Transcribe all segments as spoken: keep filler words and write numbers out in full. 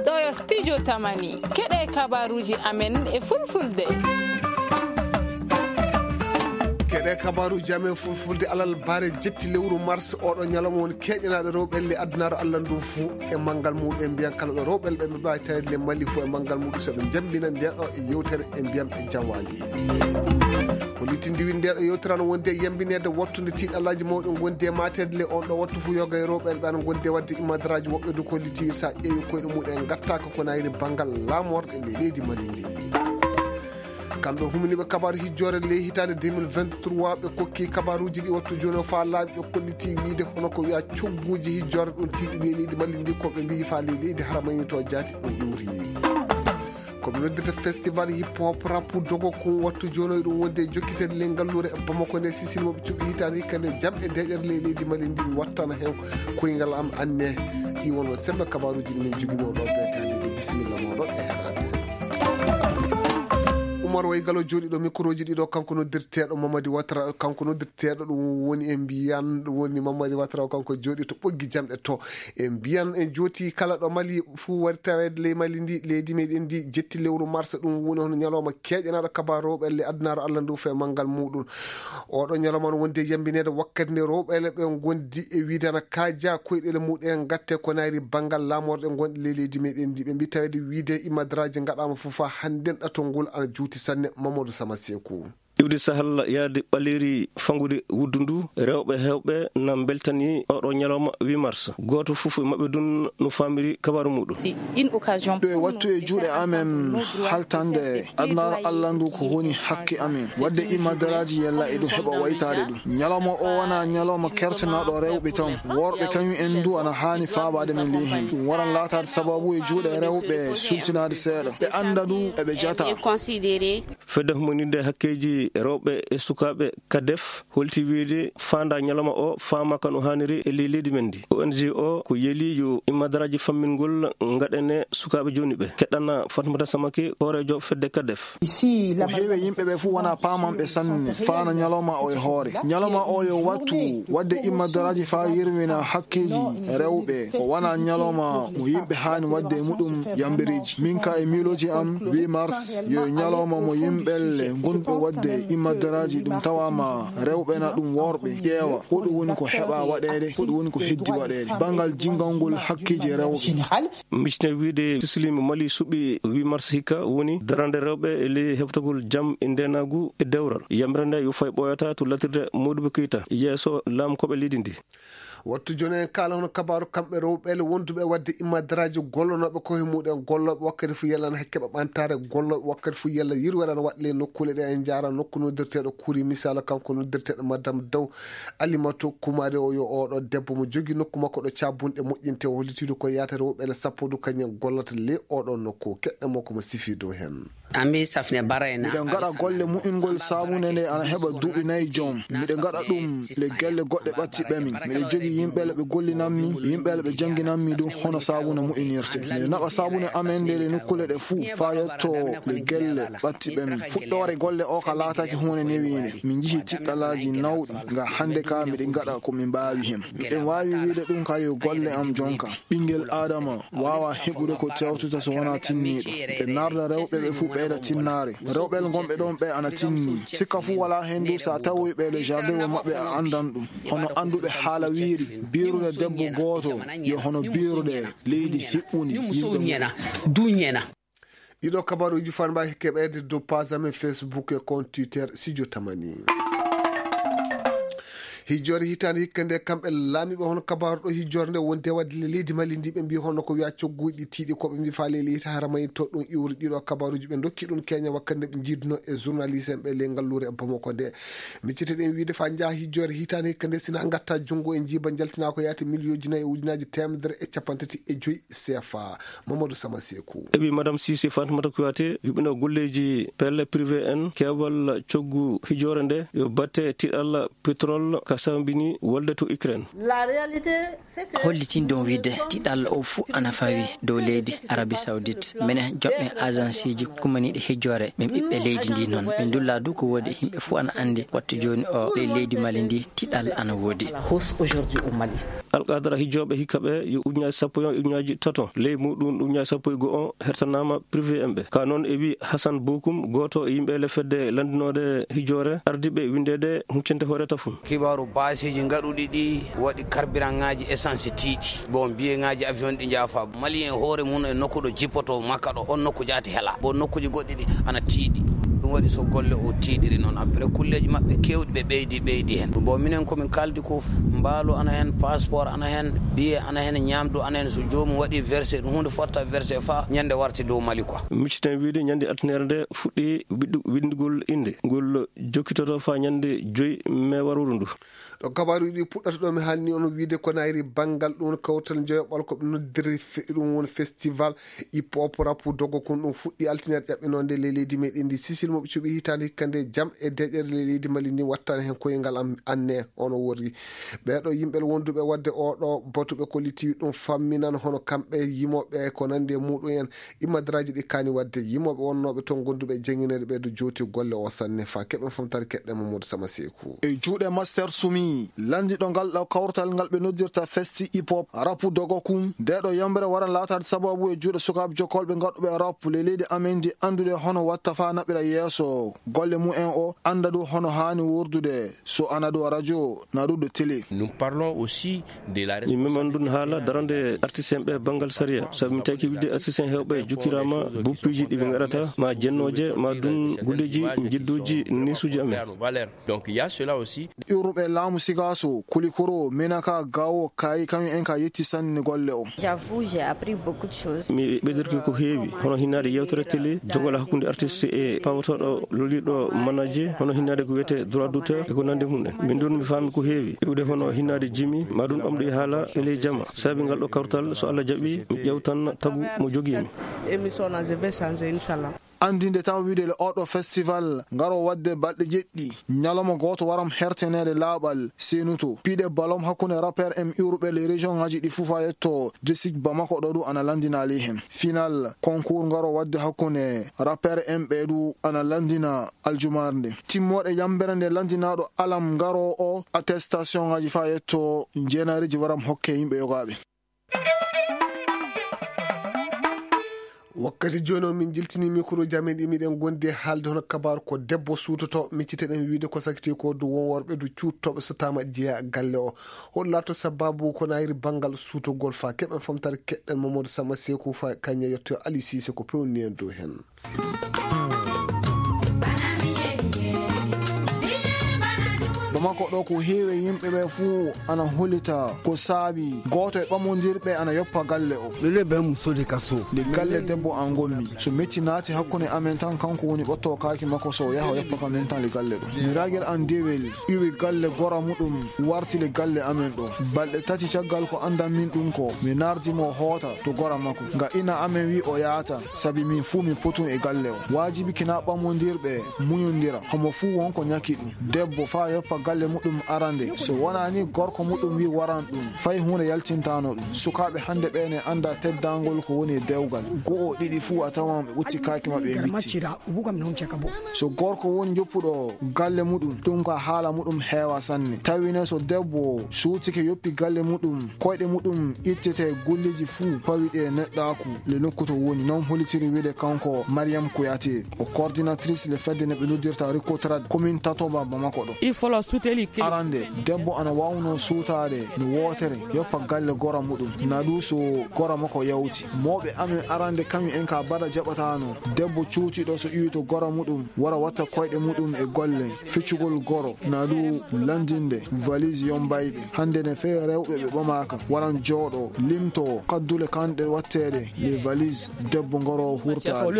Ɗo yo studio Tamani, keɗe kabaruuji amen e fulfulde. Keɗe kabaruuji amen fulfulde alal bare jetti lewru mars, oɗo ñalawma woni keƴanaaɗo rewɓe le addunaaro Allah ndu fuu e manngal muɗum. En mbiyan kala ɗo rewɓe le ɓe mbawi tawede le Mali fuu e manngal muɗum, so ɓe njambinan nden ɗo e yewtere, en mbiyan ɓe jam waali. Ko littindi windi nde ɗo yewtere no wondi e yambineede wattude tiiɗallaaji mawɗi ngondi e maateede le on ɗo wattu fuu. Yoga e rewɓe ɓe ana ngondi e waɗde imadaraaji, woɓɓe du ko litti sa ƴeewi koyɗe muɗum en ngattaaka ko nayri banngal laamorɗe le leydi Mali ndi. Kamɓe humniiɓe kabaaru hijjoore ley hitaande deux mille vingt-trois, ɓe kokki kabaaruuji ɗi wattu jooni o faa laaɓi, ɓe kolliti wiide hono ko wiya cogguuji hijjoore ɗum tiiɗi ley leydi Mali ndi, ko ɓe mbiyi faa ley leydi haramayni to jaati ɗum iwri. Ko ɓe noddirta festival hip hop rap dogo kun wattu jooni o ɗum wonde e jokkitede ley ngalluure Bamako nde, Sisili mo ɓe cuɓi hitaande hikka nde jam e deeƴere ley leydi Mali ndi wattana hen koyngal am anne. Ɗi won on sembe kabaaruuji ɗi min jogino ɗo ɓe taade. Bisimilla mooɗon e heɗaade. Umar Waygalo jooɗiiɗo mikroji ɗiɗo, kanko noddirteeɗo Mamadi Watra, kanko noddirteeɗo ɗum woni e mbiyan, ɗum woni Mamadi Watra o, kanko jooɗi to ɓoggi jamɗe to. E mbiyan en jooti kala ɗo Mali fuu wari taweede ley Mali ndi, leydi meɗen ndi jetti lewru mars, ɗum woni hono ñalawma keƴanaaɗo kabaaru rewɓe le addunaaro Allah ndu fee manngal muɗum. Oɗo ñalawma no wondi e yambineede wakkati nde rewɓe le ɓe ngondi e wiide ana kaaja koyɗele muɗum en ngatte ko nayri banngal laamorɗe gonɗe ley leydi meɗen ndi. Ɓe mbi taweede wiide imadaraaji ngaɗaama fof haa hannden ɗatol ngol ana juuti sanne. Mamadou Sama Seeku. Iwde sahal yaade ɓaleeri fangude wuddu ndu, rewɓe heewɓe na mbeltani oɗo ñalawma huit mars. Gooto fof e maɓɓe dun no faamiri kabaaru muɗum. Ɗo e wattu e juuɗe amen haltande adunaaru Allah ndu ko woni hakke amen. Wadde imadaraaji yalla e ɗum heɓa waytaade ɗum. Ñalawma o wona ñalawma kertanaaɗo rewɓe tan. Worɓe kañum en du ana haani faabaade men ley hen. Ɗum waran laataade sababu e juuɗe rewɓe sultinaade seeɗa. Ɓe annda du eɓe jata. Fedde humaninde hakkeeji rewɓe e sukaaɓe kadef holti wiide faanda ñalawma o faamaaka no haaniri e ley leydi men ndi. O N G o ko yeli yo imadaraaji fammingol ngaɗane sukaaɓe jooni ɓe. Keɗɗana Fatmata Samake, hooreejo fedde kadef. Ko heewi yimɓe ɓe fuu wona paamanɓe sanne faana ñalawma o e hoore. Ñalawma o yo wattu wadde imadaraaji faa yirwina hakkeeji rewɓe. O wona ñalawma mo yimɓe haani wadde e muɗum yambireeji. Min ka e miilooji am, huit mars yo ñalawma mo yimɓe le ngonɓe wadde imadaraaji ɗum tawaama rewɓe na ɗum worɓe ƴeewa ko ɗum woni ko heɓa waɗeede, ko ɗum woni ko heddi waɗeede. Banngal jinngangol hakkeeji rewɓe. Micne wiide Sisili mo Mali suɓi huit mars hikka woni darande rewɓe e ley heɓtagol jam e ndeenaagu e dewral. Yamira nde yo fay ɓooyata to latirde Modibo Keita yeeso laamkooɓe leydi ndi. Wattu jooni en kaala hono kabaaru kamɓe rewɓe le wonduɓe wadde imadaraaji gollonooɓe ko he muɗum gollooɓe wakkati fu yalla na keɓa ɓantaare gollooɓe wakkati fu yalla yirwere na waɗle nokkuule ɗe en njaara nokku noddirteeɗo Kuri Misala kanko noddirteeɗo Madame Daw Alimatu Kumaade o yo oɗo debbo mo jogi nokku makko ɗo caabunɗe moƴƴinte o hollitiidu ko yaata rewɓe le sappo du kañum gollata le oɗo nokku keɗɗe mo ko mo sifiidu hen. Miɗen ngaɗa golle mu'ingol saabunde nde ana heɓa duuɓi nayi joom. Miɗen ngaɗa ɗum le gelle goɗɗe ɓattiɓɓe min. Miɗen jogi yimɓe le ɓe gollinammi, yimɓe le ɓe jannginammi du hono saabunde mu'inirte. Miɗen naɓa saabunde amen nde le nokkuule ɗe fuu faa yetto le gelle ɓattiɓɓe min. Fuɗɗoore golle o ka laataaki huunde newiinde. Min njihi tiɗɗalaaji nawɗi nga hannde ka miɗen ngaɗa ko min mbaawi hen. Miɗen waawi wiide ɗum ka yo golle am jonka. Ɓinngel Aadama waawa heɓude ko tewtata so wonaa tinniiɗo. Nde narda rewɓe ɓe fuu ɓeyda tinnaare. Rewɓe ngonɓe ɗon ɓe ana tinni. Sikka fuu walaa heen du so a tawoyi ɓe le jardin o maɓɓe a anndan ɗum. Hono annduɓe haala wiiri, biirude debbo gooto yo hono biirude leydi hiɓɓundi yimɓe mum. Ɗiɗo kabaruuji fanɓe keɓeede dow page amen Facebook e compte Twitter Studio Tamani. Hijjoore hitaande hikka nde kamɓe laamiiɓe hono kabaaru ɗo hijjoore nde wonde wadde le leydi Mali ndi ɓe mbi hono ko wiya cogguuji tiiɗi ko ɓe mbi faale leydi hara mayi to ɗum iwri ɗiɗo kabaruuji ɓe dokki ɗum keña wakkati nde ɓe jiiduno e journaliste en ɓe le ngalluure e Bamako nde. Miccete ɗen wiide fa njaha hijjoore hitaande hikka nde sina ngatta junngo e njiiba njaltina ko yaati miliyooji nayi e ujunaaji teemedere e capanɗe tati e joyi C F A. Mamadou Sama Seeku. Eɓi Madame Cissé Fatoumata Kouyaté yuɓɓino golleeji pelle privé en keewal coggu hijoore nde yo batte tiɗal pétrole ka sambini wolde to Ukraine. Hollitin ɗum wiyde tiɗal o fuu ana fawi dow leydi Arabie Saoudite. Minen joɓɓe agenceeji kummaniiɗi hijjoore, min ɓiɓɓe leydi ndi noon. Min ndulla du ko woodi, yimɓe fuu ana anndi wattu jooni o ley leydi Mali ndi tiɗal ana woodi. Alqadara hijjooɓe hikka ɓe yo ujunnaaji sappo e on, ujunnaaji tato ley muɗum ujunnaaji sappo e go'o hertanaama privé en ɓe. Ka noon e wi Hassan Bokum, gooto e yimɓe le fedde lanndinoode hijjoore, ardiiɓe winndeede huccente hoore tafum. Kibaaru baasiiji ngaɗuɗi ɗi waɗi carburantŋaaji essence tiiɗi. Bon, biyeŋaaji avion ɗi njaafa. Malien hoore mum e nokku ɗo jippoto makka ɗo, on nokku jaati hela. Bon, nokkuuji goɗɗi ɗi ana tiiɗi. Ɗum waɗi so golle o tiiɗiri noon. Après, kulleeji maɓɓe keewɗi ɓe ɓeydi, ɓeydi hen. Bon, minen ko min kaldi ko, mbaalu ana hen, passeport ana hen, biye ana hen, ñaamdu ana hen. So joomum waɗi versé, ɗum huunde fotta versé faa ñande warti dow Mali quoi. Micciten wiyde ñande altinere nde fuɗɗi wiɗɗu-, winndugol innde. Ngol jokkitoto faa ñande joy mee warooru ndu. Ɗo kabaaruuji ɗi puɗɗata ɗo mi haalni on wiyde ko nayri banngal ɗum kawtal njoyoɓal ko ɓe noddiri fe-, ɗum woni festival hip hop rapu dogo kun ɗum fuɗɗi altinere ƴaɓɓinoonde ley leydi meɗen ndi Sisil mo ɓe cuɓi hitaande hikka nde jam e deƴƴere ley leydi Mali ndi wattani hen koyngal am anne ono worri. Ɓeeɗo yimɓe wonduɓe wadde oɗo batu ɓe kolliti ɗum famminan hono kamɓe yimoɓe ko nandi e muɗum en immadaraaji ɗi kaani wadde yimoɓe wonnooɓe toon gonduɓe e jeŋineede ɓe ɗo jooti golle o sanne fa keɓen famtare keɗɗen Mamadou Sama Seeku. E juuɗe Master Sumi, landiɗo ngal ɗo kawtal ngal ɓe noddirta Festi Hip Hop, rapu dogo kun, nde ɗo yambre waran laataade sababu e juuɗe sukaaɓe jokkolɓe ngaɗuɓe rap le leydi amen ndi anndude hono watta faa naɓira yeeso golle mum en o annda ɗum hono haani wordude so ana ɗo radio na ɗum ɗo télé. Nous parlons aussi de la Min meman ɗum haala darande artiste en ɓe banngal sariya. Sabu min taki wide artiste en heewɓe jokkiraama buppiiji ɗi ɓe ngaɗata, ma jennooje, ma ɗum gulleeji, jidduuji, nisuuji amen. Donc, il y a cela aussi. Iwruɓe laamu Sigaso, Kulikoro, Menaka, Gawo, Kayi, kañum en ka yetti sanne golle o. J'avoue, j'ai appris beaucoup de choses. Mi ɓeydirki ko heewi, hono hinnaade yewtere télé, jogol hakkunde artiste e pawotooɗo loliiɗo manaje, hono hinnaade ko wiyetee droit d'auteur e ko nandi mum en. Min ɗum mi faami ko heewi, iwde hono hinnaade jimi, ma ɗum ɓamɗo e haala e ley jama. Sabi ngal ɗo kawtal, so Allah jaɓi, mi ƴewtan tagu mo jogii mi. Cette émission-là, je vais changer, Inch'Allah. Anndinde taw wiide le oɗo festival ngaro waɗde balɗe jeɗɗi, ñalawma gooto waram herteneede laaɓal seenuto. Piɗe balom hakkunde rappeur en iwruɓe le région ngaji ɗi fuu faa yetto district Bamako ɗo ɗum ana lanndinaali hen. Final concours ngaro waɗde hakkunde rappeur en ɓe ɗum ana lanndina aljumaare nde. Timmooɗe yambere nde lanndinaaɗo alam ngaro o attestation ngaji faa yetto jeenaariji waram hokke yimɓe yogaaɓe. Wakkati jooni o min jiltini mikro jamin ɗi miɗen gondi e haalde hono kabaru ko debbo suutoto micciteɗen wiide ko sakiti ko du won worɓe du cuuttooɓe so tama jeeya galle o. Hol laato sababu ko nayri banngal suutogol fa keɓen famtare keɗɗen Mamadou Sama Seeku fa kañe yetto Ali Sise ko pewni en dow hen. Bamako ɗo ko heewi e yimɓe ɓe fuu ana holita ko saabi gooto e ɓamondirɓe ana yoppa galle o. Lele bɛ muso de ka so. Nde galle debbo an gommi. So metti naati hakkunde amen tan kanko woni ɓotto kaaki makko so o yaha o yoppa kam nen tan le galle ɗo. Miragel an dewel iwi galle gora muɗum warti le galle amen ɗo. Balɗe tati caggal ko andan min ɗum ko mi nardi mo hoota to gora makko. Nga ina amen wi o yaata. Sabi min fuu min potun e galle o. Waajibi kina ɓamondirɓe muñondira. Homo fuu won ko ñaki ɗum. Debbo faa yoppa galle muɗum arande. So wonaa ni gorko muɗum wi waran ɗum. Fay huunde yaltintano ɗum. Sukaaɓe hannde ɓee ne annda teddangol ko woni e dewgal. Go'o ɗiɗi fuu a tawan ɓe ɓutti kaaki maɓɓe e bitti. So gorko woni joppuɗo galle muɗum, ɗum ka haala muɗum heewa sanne. Tawi ne so debbo suutike yoppi galle muɗum, koyɗe muɗum ittete gulleji fuu pawiɗe neɗɗaaku le nokku to woni. Non holitiri wiide kanko Mariam Kouyaté, o coordinatrice le fedde ne ɓe noddirta Ricotrad commune Tatoba Bamako ɗo. Arande, debbo ana wawno suutaade no wootere, yoppa galle gora muɗum, na ɗum so gora makko yawti. Mawɓe amen arande kañum en ka bada jaɓatano, debbo cuutiɗo so iwi to gora muɗum, wara watta koyɗe muɗum e golle, feccugol goro, na ɗum landinde, valise yombayɓe. Hande ne fee rewɓe ɓe ɓamaka, waran jooɗo, limto, kaddule kanɗe watteɗe, les valises, debbo ngoro hurtaade.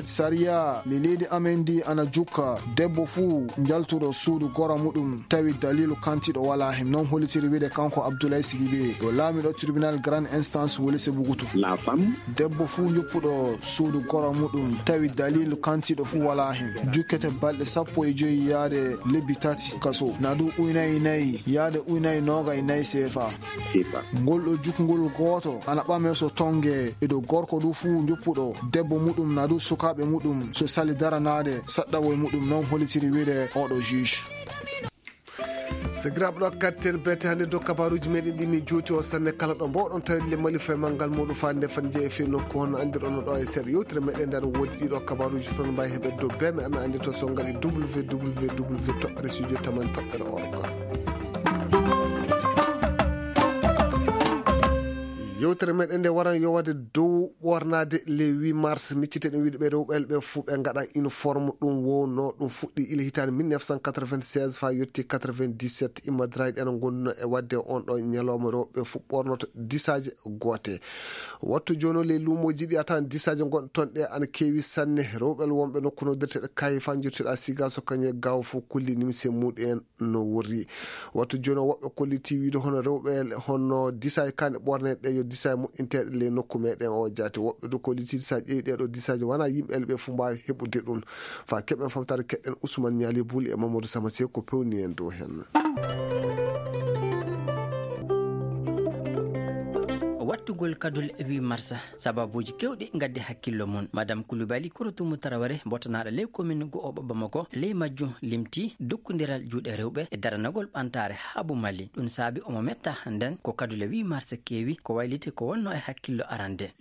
Sariya, le leydi amen ndi ana jukka, debbo fuu njaltuɗo suudu gora muɗum tawi dalilu kantiɗo wala hen. Non hollitiri wiide kanko Abdoulaye Sidibé, ɗo laamiɗo tribunal grande instance woni se bugutu. La femme. Debbo fuu joppuɗo suudu goro muɗum tawi dalilu kantiɗo fuu wala hen, jukkete balɗe sappo e joyi yaade lebbi tati kaso, na du uynay nayi yaade uynay noogay nayi seefa. Seefa. Ngol ɗo jukngol gooto ana ɓame so tonge e dow gorko du fuu joppuɗo debbo muɗum na du sukaaɓe muɗum so sali daranaade saɗɗawoy muɗum, non hollitiri wiide oɗo juge. Sakiraaɓe, ɗo katten bete hannde dow kabaruuji meɗen ɗi min juuti on sanne kala ɗo mbowɗon tawde le Mali fay manngal muɗum faande fan jeeya fii nokku honno anndirɗon no ɗo e seeɗa yewtere meɗen nde no woodi ɗiɗo kabaruuji fof no mbawi heɓe dow beme amen anndi to so ngal e www toɓɓere studio tamani toɓɓere org. Yewtere meɗen nde waran yowade dow ɓornaade le huit mars, miccite ɗen wiide ɓe rewɓe ɓe fof ɓe ngaɗa uniforme ɗum wowno ɗum fuɗɗi ila hitaande mille neuf cent quatre-vingt-seize fa yotti quatre-vingt-dix-sept, immadraji ɗen ngonno e wadde on ɗo ñalawma rewɓe fof ɓornoto disaaje goote. Wattu jooni o ley luumooji ɗi a tawan disaaje gonɗe toon ɗe ana keewi sanne. Rewɓe wonɓe nokku noddirteɗo kayi fa jottiɗa siga so kañe gaw fof kolli nimse muɗum en no worri. Wattu jooni o woɓɓe kolliti wiide hono rewɓe hono disaaje kane ɓorneɗe yo disaaje moƴƴinteɗe ley nokku meɗen o jaati. Woɓɓe du kolliti so a ƴeewi ɗeɗo disaaje wona yimɓe ɓe fof mbawi heɓude ɗum. Fa keɓen famtare keɗen Ousmane Niali Bouli e Mamadou Sama Sey ko pewni en dow hen. Wattugol kadule huit mars, sababuuji kewɗi ngaddi hakkillo mum. Madame Koulibaly Korotumu Taraware, botanaaɗo ley commune go'oɓo Bamako, ley majjum limti dukkondiral juuɗe rewɓe e daranagol ɓantaare haabu Mali. Ɗum saabi omo metta hannden ko kadule huit mars keewi ko wayliti ko wonno e hakkillo arande.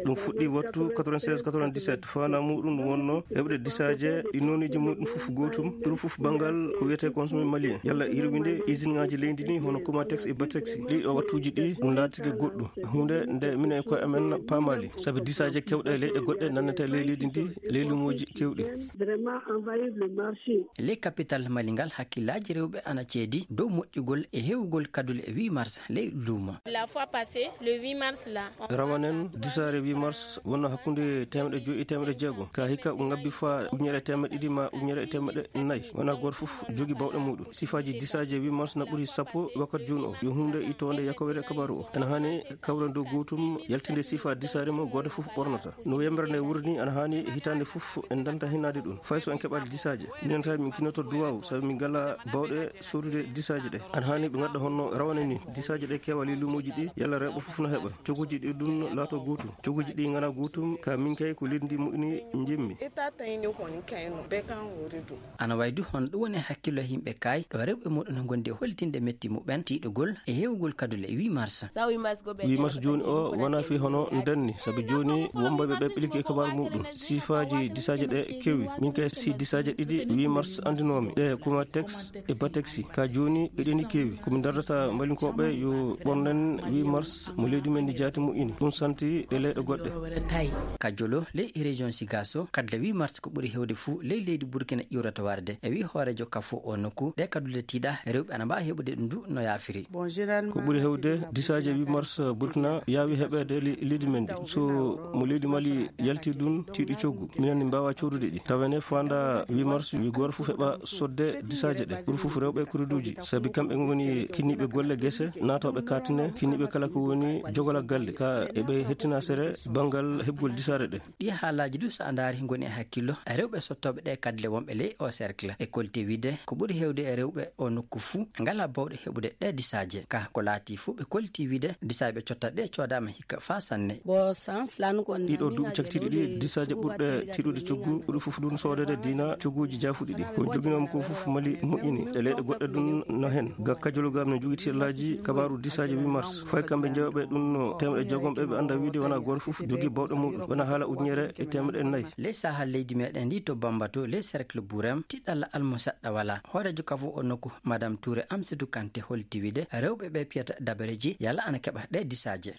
Ɗum fuɗɗi wattu quatre-vingt-seize quatre-vingt-dix-sept. Faanaa muuɗum ɗum wonno heɓde disaaje ɗi nooniiji muuɗum fof gootum, ɗum fof banngal ko wiyetee consommé malien, yalla hirwinde usine ŋaaji leydi ndi hono Comatex e Batex. Ɗii ɗoo wattuuji ɗi ɗum laatike goɗɗum, huunde nde minen e koye amen paamaali, sabi disaaje keewɗe e leyɗe goɗɗe nannete ley leydi ndi, ley luumooji keewɗi. Vraiment envahir le marché. Ley capital Mali ngal, hakkillaaji rewɓe ana ceedi dow moƴƴugol e heewugol kadule huit mars ley luumo. La fois passée, le huit mars là, on... Rawanen, disaare huit mars wonno hakkunde teemedde joyi e teemedde jeegom. Ka hikka o ngabbi fa ujunere e teemedde ɗiɗi ma ujunere e teemedde nayi. Wona gooto fof jogi bawɗe muuɗum. Sifaaji disaaje huit mars na ɓuri sappo wakkati jooni o. Yo huunde ittoonde yakkowere kabaaru o. Ena haani kawren dow gootum, yaltinde sifaa disaare mo gooto fof ɓornata. No yembere nde wurri ni, ana haani hitaande fof en danta hinaade ɗum. Fay so en keɓaali disaaje, minen tawi min kinoto duwaaw, sabi min ngala bawɗe soodude disaaje ɗe. Ana haani ɓe ngadda honno rawane ni, disaaje ɗe keewa ley luumooji ɗi, yalla rewɓe fof na heɓa. Coguuji ɗi ɗum laato gootum. Coguuji ɗi ngana gootum, ka min kay ko leydi ndi moƴƴini njimmi. Ita tayni kon kayno, be kan wuri ɗum. Ana wayi du hono ɗum woni e hakkillo yimɓe kay, ɗo rewɓe muɗum no ngondi e hollitinde metti muɓen, tiiɗugol e heewugol kadule huit mars. Huit mars jooni o wona fii hono ndenni, sabi jooni wonɓe ɓe ɓiliki e kabaaru muɗum. Sifaaji disaaje ɗe kewi. Min kay si disaaje ɗiɗi huit mars anndinoomi. Ɗe Comatex e Batexi. Ka jooni eɗeni kewi. Ko min dardata mbalinkooɓe yo ɓornen huit mars mo leydi men ndi jaati moƴƴini. Ɗum santi ɗe leyɗe goɗɗe. Ka jolo ley e région Sigaso, kadle huit mars ko ɓuri heewde fuu ley leydi Burkina ƴiwrata warde. E wi hooreejo kafo o nokku, ɗe kadule tiiɗa, rewɓe ana mbaawi heɓude ɗum du no yaafiri. Ko ɓuri heewde disaaje huit mars Burkina yaawi heɓeede le-, leydi men ndi. So mo leydi Mali yalti ɗum, tiiɗi coggu. Minen ne mbaawa coodude ɗi. Tawene faanda huit mars, wi gooto fof heɓa sodde disaaje ɗe. Ɓuri fof rewɓe e kureduuji. Sabi kamɓe ngoni kinniiɓe golle gese, naatooɓe kaatine, kinniiɓe kala ko woni jogolal galle. Ka eɓe hettina sere banngal heɓgol disaare ɗe. Ɗi haalaaji du, so a ndaari, ngoni e hakkillo rewɓe sottooɓe ɗe kadle wonɓe ley o cercle. E kolti wiide, ko ɓuri heewde e rewɓe o nokku fuu, ngala bawɗe heɓude ɗe disaaje. Ka ko laati fuu, ɓe kolti wiide, disaaje ɓe cotta ɗe coodaama hikka faa sanne. Ɗiɗo duuɓi cakitiiɗi ɗi, disaaje ɓurɗe tiiɗude coggu, ɓuri fof ɗum soodede diina cogguuji jaafuɗi ɗi. Ko joginoomi ko fof Mali moƴƴini. E leyɗe goɗɗe ɗum no hen. Ga kajolo gam no jogiti laaji kabaaru disaaje huit mars. Fay kamɓe jewɓe ɗum no teemɗe jeegom ɓe, ɓe annda wiide wona gooto fof jogi bawɗe muɗum. Wona haala ujunere e teemɗe nayi. Ley saha leydi meɗen ndi to Bambato, ley cercle Bourem, tiɗalla almusaɗɗa wala. Hooreejo kafo o nokku, Madame Touré Amsidou Kanté, holti wiide rewɓe ɓe piyata dabareji yalla ana keɓa ɗe disaaje.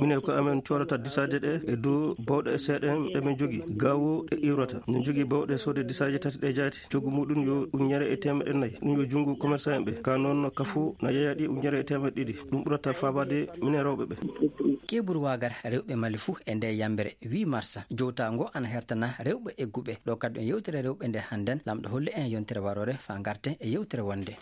Minen ko amen coodata disaaje ɗe e dow bawɗe e seeɗa en ɗe min njogii. Gaawo e iwrata. Min njogii bawɗe soode disaaje tati ɗe jaati. Coggu muɗum yo ujunere e teemeɗɗe nayi. Ɗum yo junngo commerçant en ɓe. Ka noon kafu na yeeya ɗi ujunere e teemeɗɗe ɗiɗi. Ɗum ɓurata faabaade minen rewɓe ɓe. Keɓuru waagar rewɓe Mali fuu e nde yambere huit mars. Jowtaango ana hertana rewɓe egguɓe. Ɗo kadi on yewtere rewɓe nde hannden. Lamɗo holli en yontere waroore faa ngarten e yewtere wonde.